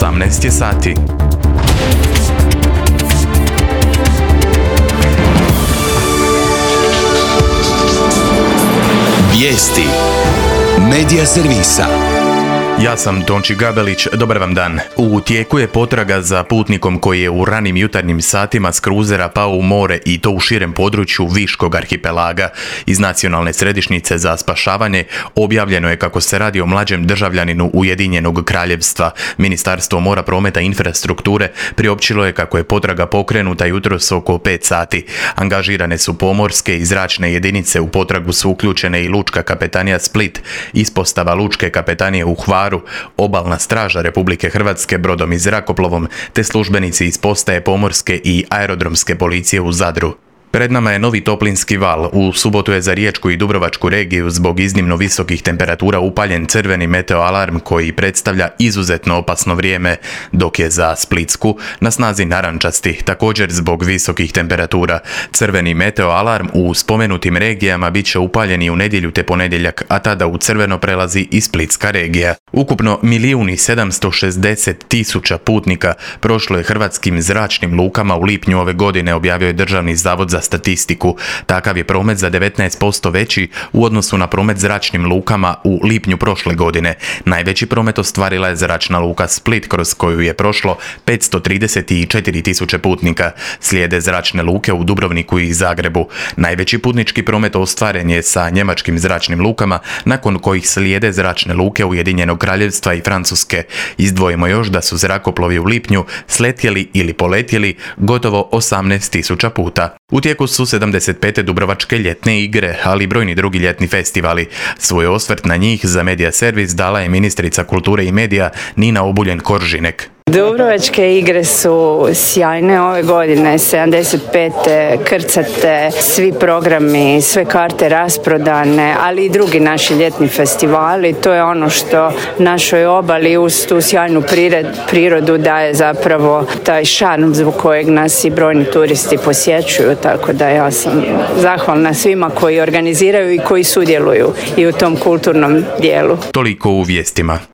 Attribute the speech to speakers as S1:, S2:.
S1: 18 je sati.
S2: Vijesti Medija servisa.
S1: Ja sam Tonči Gabelić, dobar vam dan. U tijeku je potraga za putnikom koji je u ranim jutarnjim satima s kruzera pao u more i to u širem području Viškog arhipelaga. Iz Nacionalne središnjice za spašavanje objavljeno je kako se radi o mlađem državljaninu Ujedinjenog kraljevstva. Ministarstvo mora, prometa i infrastrukture priopćilo je kako je potraga pokrenuta jutros oko 5 sati. Angažirane su pomorske i zračne jedinice, u potragu su uključene i Lučka kapetanija Split, ispostava Lučke kapetanije u Hvaru, Obalna straža Republike Hrvatske brodom i zrakoplovom, te službenici iz postaje pomorske i aerodromske policije u Zadru. Pred nama je novi toplinski val. U subotu je za Riječku i Dubrovačku regiju zbog iznimno visokih temperatura upaljen crveni meteoalarm koji predstavlja izuzetno opasno vrijeme, dok je za Splitsku na snazi narančasti, također zbog visokih temperatura. Crveni meteoalarm u spomenutim regijama bit će upaljen i u nedjelju te ponedjeljak, a tada u crveno prelazi i Splitska regija. Ukupno 1.760.000 putnika prošlo je hrvatskim zračnim lukama u lipnju ove godine, objavio je Državni zavod za statistiku. Takav je promet za 19% veći u odnosu na promet zračnim lukama u lipnju prošle godine. Najveći promet ostvarila je zračna luka Split, kroz koju je prošlo 534.000 putnika. Slijede zračne luke u Dubrovniku i Zagrebu. Najveći putnički promet ostvaren je sa njemačkim zračnim lukama, nakon kojih slijede zračne luke Ujedinjenog kraljevstva i Francuske. Izdvojimo još da su zrakoplovi u lipnju sletjeli ili poletjeli gotovo 18.000 puta. U tijeku su 75. Dubrovačke ljetne igre, ali i brojni drugi ljetni festivali. Svoj osvrt na njih za Medija servis dala je ministrica kulture i medija Nina Obuljen-Koržinek.
S3: Dubrovačke igre su sjajne ove godine, 75. krcate, svi programi, sve karte rasprodane, ali i drugi naši ljetni festivali. To je ono što našoj obali uz tu sjajnu prirodu daje zapravo taj šarm zbog kojeg nas i brojni turisti posjećuju, tako da ja sam zahvalna svima koji organiziraju i koji sudjeluju i u tom kulturnom dijelu.
S1: Toliko u vijestima.